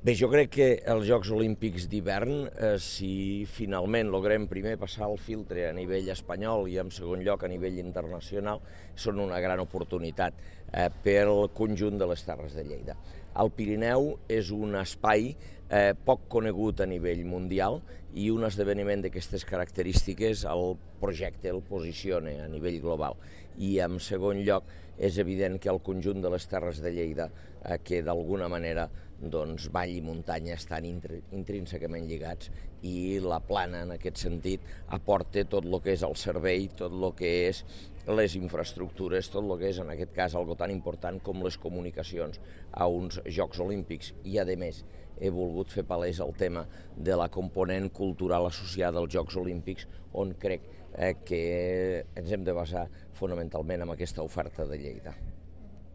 Bé, jo crec que els Jocs Olímpics d'hivern, si finalment logrem primer passar el filtre a nivell espanyol i en segon lloc a nivell internacional, són una gran oportunitat pel conjunt de les Terres de Lleida. El Pirineu és un espai poc conegut a nivell mundial i un esdeveniment d'aquestes característiques el projecte el posiciona a nivell global. I en segon lloc és evident que el conjunt de les Terres de Lleida, que d'alguna manera vall i muntanya estan intrínsecament lligats i la Plana, en aquest sentit, aporta tot el que és el servei, tot el que és les infraestructures, tot el que és, en aquest cas, algo tan important com les comunicacions a uns Jocs Olímpics. I, a més, he volgut fer palès el tema de la component cultural associada als Jocs Olímpics, on crec que ens hem de basar fonamentalment en aquesta oferta de Lleida.